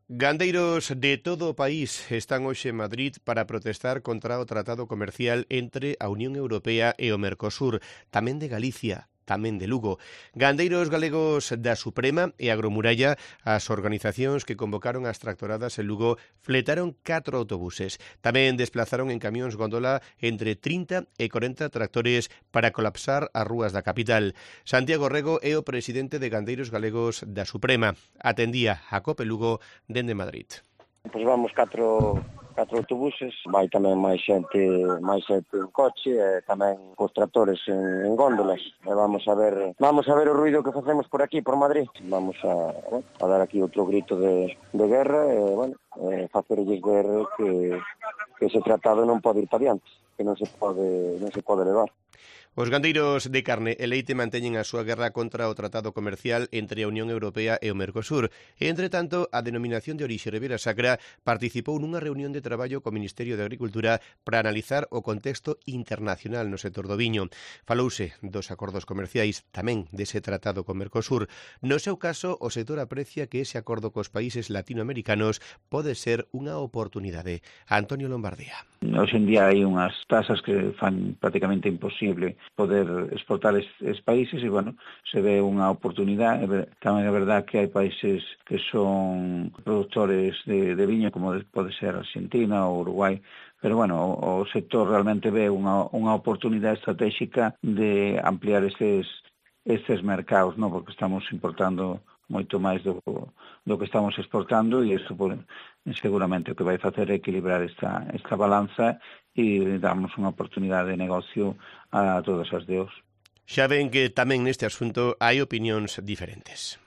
Gandeiros de todo o país están hoxe en Madrid para protestar contra o tratado comercial entre a Unión Europea e o Mercosur, tamén de Galicia, tamén de Lugo. Gandeiros galegos da Suprema e Agromuralla, as organizacións que convocaron as tractoradas en Lugo, fletaron 4 autobuses. Tamén desplazaron en camións góndola entre 30 e 40 tractores para colapsar as rúas da capital. Santiago Rego é o presidente de Gandeiros Galegos da Suprema. Atendía a COPE Lugo dende Madrid. Pois vamos catro autobuses, vai tamén máis xente en coche e tamén cos tractores en góndolas. E vamos a ver o ruido que facemos por aquí, por Madrid. Vamos a dar aquí outro grito de guerra e facerlles ver que ese tratado non pode ir para diante, que non se pode levar. Os gandeiros de carne e leite manteñen a súa guerra contra o tratado comercial entre a Unión Europea e o Mercosur. E, entre tanto, a denominación de orixe Ribera Sacra participou nunha reunión de traballo co Ministerio de Agricultura para analizar o contexto internacional no sector do viño. Falouse dos acordos comerciais, tamén dese tratado co Mercosur. No seu caso, o sector aprecia que ese acordo cos países latinoamericanos pode ser unha oportunidade. Antonio Lombardía. Hoxe en día hai unhas tasas que fan prácticamente imposible poder exportar estes países e, se ve unha oportunidade. Tamén é verdad que hai países que son productores de viño, como pode ser Argentina ou Uruguai, pero, o sector realmente ve unha oportunidade estratégica de ampliar estes mercados, porque estamos importando moito máis do que estamos exportando e isto seguramente o que vai facer é equilibrar esta balanza e darnos unha oportunidade de negocio a todas as de hoxe. Xa ven que tamén neste asunto hai opinións diferentes.